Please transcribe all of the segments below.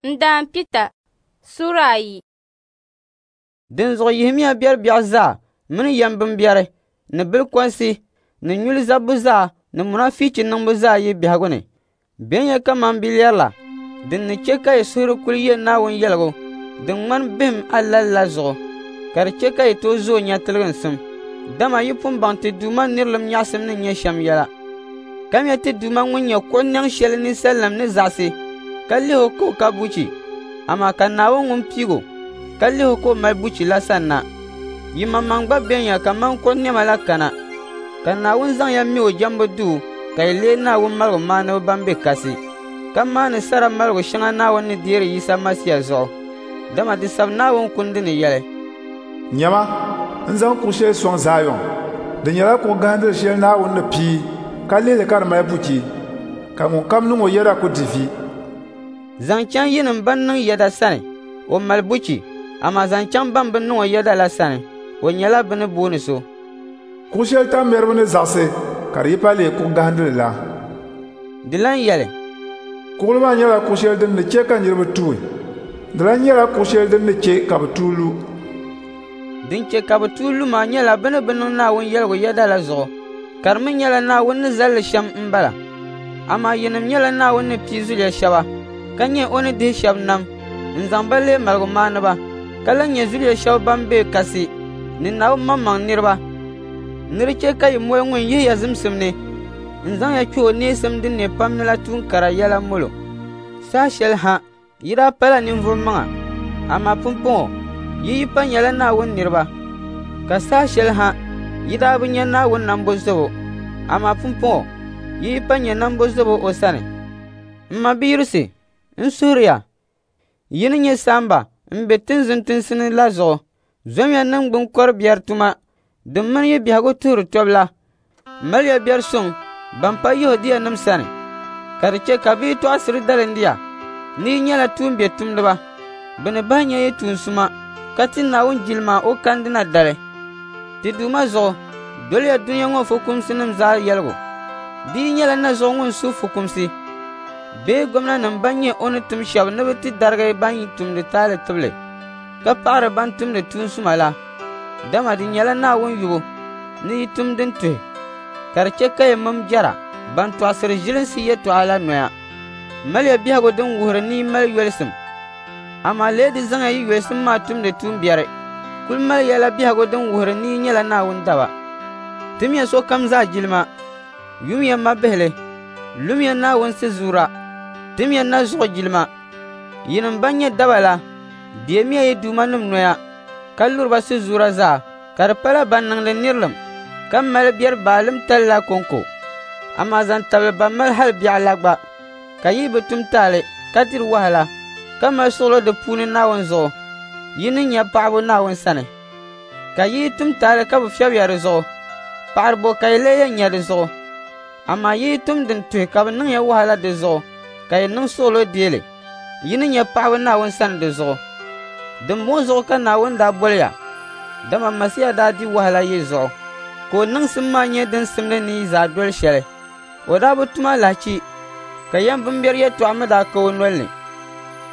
N daan Pita, suura ayi. Dinzuɣu yihimiya biɛri biɛɣu zaa mini yɛmbimbiɛri ni bilikɔnsi ni nyuli zabbu zaa ni munaafichi niŋbu zaa yi biɛhigu ni. Benya kaman bilɛri la, din ni chɛ ka yi suhuri kul ye Naawuni yɛligu din ŋmani bihim alali la zuɣu, ka di chɛ ka yi tooi zooi nya tiliginsim. Dama yi pun baŋ ti Duuma nirilim nyaɣisim ni nyɛ shɛm yɛla. Kamiya ti Duuma ŋun nyɛ kuɣ nɛŋ shɛli ninsalinim ni zaɣisi ka lihi o ka o ka buchi, amaa ka Naawuni ŋun piig o ka lihi o ka o mali buchi la sanna. Yimaŋmaŋ gba benya kaman kuɣ nɛma la kana, ka Naawuni zaŋ ya me o jɛmbu duu ka yi leei Naawuni maligu maaniba ban be kasi, ka maani sara maligu shɛŋa Naawuni ni deeri Yisa Masia zuɣu. Dama di sab Naawuni kundi ni yɛli: Nyama, n zaŋ kuɣ shɛli sɔŋ Zaayɔn. Di nyɛla kuɣ gahindili shɛli Naawuni ni pii ka lihi li ka di mali buchi, ka ŋunkam niŋ o yɛda ku di vi. Zaŋ chaŋ yinim ban niŋ yɛda sani, o mali buchi, amaa zaŋ chaŋ ban bi niŋ o yɛda la sani, o nyɛla bɛ ni booni so. Kuɣ shɛli tammɛriba ni zaɣisi ka di yipa leei kuɣ gahindili la. Di lan yɛli: Kuɣili maa nyɛla kuɣ shɛli din ni chɛ ka niriba tuui. Di lan nyɛla kuɣ shɛli din ni chɛ ka bɛ tuui lu. Din chɛ ka bɛ tuui lu maa nyɛla bɛ ni bi niŋ Naawuni yɛligu yɛda la zuɣu, ka di mi nyɛla Naawuni ni zali li shɛm m-bala. Amaa yinim nyɛla Naawuni ni pii zuliya shɛba, ka nyɛ o ni dihi shɛba nam n-zaŋ ba leei maligumaaniba, ka lan nyɛ zuliya shɛba ban be kasi ni Naawuni maŋmaŋ niriba. Ni di chɛ ka yi moli ŋun yihi ya zimsim ni n-zaŋ ya kpɛh o neesim din ne pam ni la tuun kara yɛla molo. Saha shɛli ha yi daa pala ninvuɣ maŋa, amaa pumpɔŋɔ yi yipa nyɛla Naawuni niriba. Ka saha shɛli ha yi daa bi nya Naawuni nambozobo, amaa pumpɔŋɔ yi yipa nyɛ nambozobo o sani. M mabiyurisi, n suhiri ya, yi ni nyɛ saamba m-be tinzun tinsi ni la zuɣu, zomiya niŋgbuŋ kɔr biɛri tuma din mini yi biɛhigu tuhiri tɔbu la. Maliya biɛri suŋ ban pa Yɛhudianim sani, ka di chɛ ka bɛ yi tɔɣisiri dalindiya ni yi nyɛla tuumbiɛtumdiba. Bɛ ni bahi nya yi tuun suma ka ti Naawuni jilima o kandina dali. Ti Duuma zuɣu, doliya dunia ŋɔ fukumsinim zaa yɛligu. Di yi nyɛla na zuɣu ŋun su fukumsi bee gomnanim ban nyɛ o ni tim shɛba ni bɛ ti darigi ban tumdi taali tibili, ka paɣiri ban tumdi tuun suma la. Dama di nyɛla Naawuni yubu ni yi tum din tuhi, ka di chɛ ka yi mini jɛra ban tɔɣisiri ʒilinsi yɛtɔɣa la noya. Maliya biɛhigu din wuhiri ni yi mali yolisim, amaa lee di zaŋya yi yolisim maa tumdi tuumbiɛri. Kul maliya la biɛhigu din wuhiri ni yi nyɛla Naawuni daba. Timiya sokam zaa jilima, yumiya mabihili, lumiya Naawuni sizuura, timiya na zuɣu jilima. Yinim ban nyɛ daba la, deemiya yi duumanim noya, ka luri ba sizuura zaa, ka di pala ban niŋdi nirilim ka mali biɛri baalim tali la kɔŋko, amaa zaŋ tabili ban mali hal biɛɣu la gba. Ka yi bi tum taali ka diri wahala, ka mali suɣilo di puuni Naawuni zuɣu, yi ni nya paɣibu Naawuni sani. Ka yi yi tum taali ka bɛ fiɛbi ya di zuɣu, paɣiri bɔ ka yi lee yɛn nya di zuɣu? Amaa yi yi tum din tuhi ka bɛ niŋ ya wahala di zuɣu, ka yi niŋ suɣilo deei li, yi ni nya paɣibu Naawuni sani di zuɣu. Dimbɔŋɔ zuɣu ka Naawuni daa boli ya, dama Masia daa di wahala yi zuɣu, ka o niŋsim maa nyɛ din simdi ni yi zaa doli shɛli. O daa bi tum alahichi, ka yɛmbimbiɛri yɛtɔɣa mi daa ka o nol ni.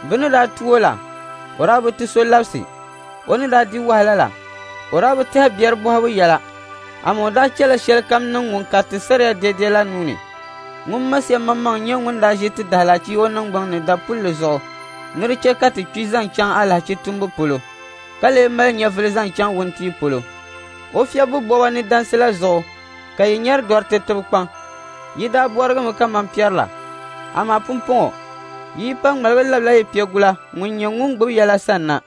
Bɛ ni daa tu o la, o daa bi ti so labisi. O ni daa di wahala la, o daa bi tɛhi biɛri bɔhibu yɛla, amaa o daa chɛla shɛlikam niŋ ŋun kariti saria dɛdɛ la nuu ni. Ŋun Masia maŋmaŋ nyɛ ŋun daa ʒi ti daalahichi o niŋgbuŋ ni dapulli zuɣu ni di chɛ ka ti kpi zaŋ chaŋ alahichi tumbu polo, ka lee mali nyɛvili zaŋ chaŋ wuntia polo. O fiɛbbu bɔba ni dansi la zuɣu ka yi nyari dɔriti tibu kpaŋ. Yi daa bɔrigimi kaman piɛri la, amaa pumpɔŋɔ yi yipa ŋmaligi labila yi piɛgula ŋun nyɛ ŋun gbibi ya la sanna.